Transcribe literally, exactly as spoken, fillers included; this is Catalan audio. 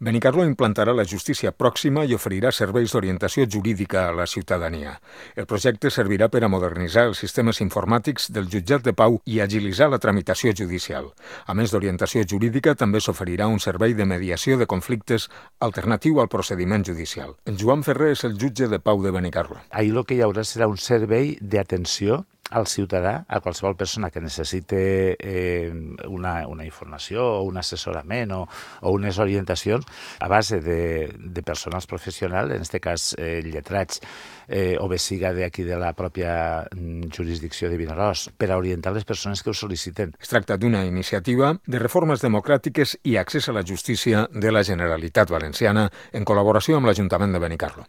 Benicarló implantarà la justícia pròxima i oferirà serveis d'orientació jurídica a la ciutadania. El projecte servirà per a modernitzar els sistemes informàtics del jutjat de pau i agilitzar la tramitació judicial. A més d'orientació jurídica, també s'oferirà un servei de mediació de conflictes alternatiu al procediment judicial. En Joan Ferrer és el jutge de pau de Benicarló. Ahir el que hi haurà serà un servei d'atenció al ciutadà, a qualsevol persona que necessite eh, una, una informació o un assessorament o, o unes orientacions a base de, de personals professionals, en aquest cas eh, lletrats, eh, o bé siga d'aquí de la pròpia jurisdicció de Vinaròs, per a orientar les persones que ho sol·liciten. Es tracta d'una iniciativa de reformes democràtiques i accés a la justícia de la Generalitat Valenciana en col·laboració amb l'Ajuntament de Benicarló.